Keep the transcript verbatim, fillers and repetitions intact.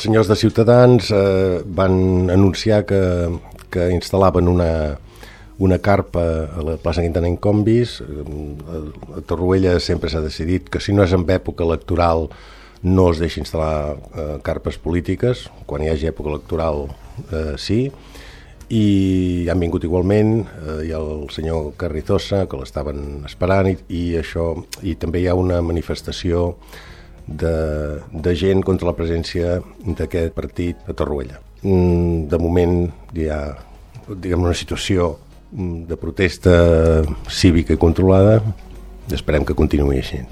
els senyors de Ciutadans eh, van anunciar que, que instal·laven una, una carpa a la plaça Quintana Incombis. A Torroella sempre s'ha decidit que si no és en època electoral no es deixa instal·lar eh, carpes polítiques, quan hi hagi època electoral eh, sí, i han vingut igualment, eh, hi ha el senyor Carrizosa que l'estaven esperant i, i això, i també hi ha una manifestació de, de gent contra la presència d'aquest partit a Torroella. De moment hi ha, diguem, una situació de protesta cívica i controlada, i esperem que continuï així.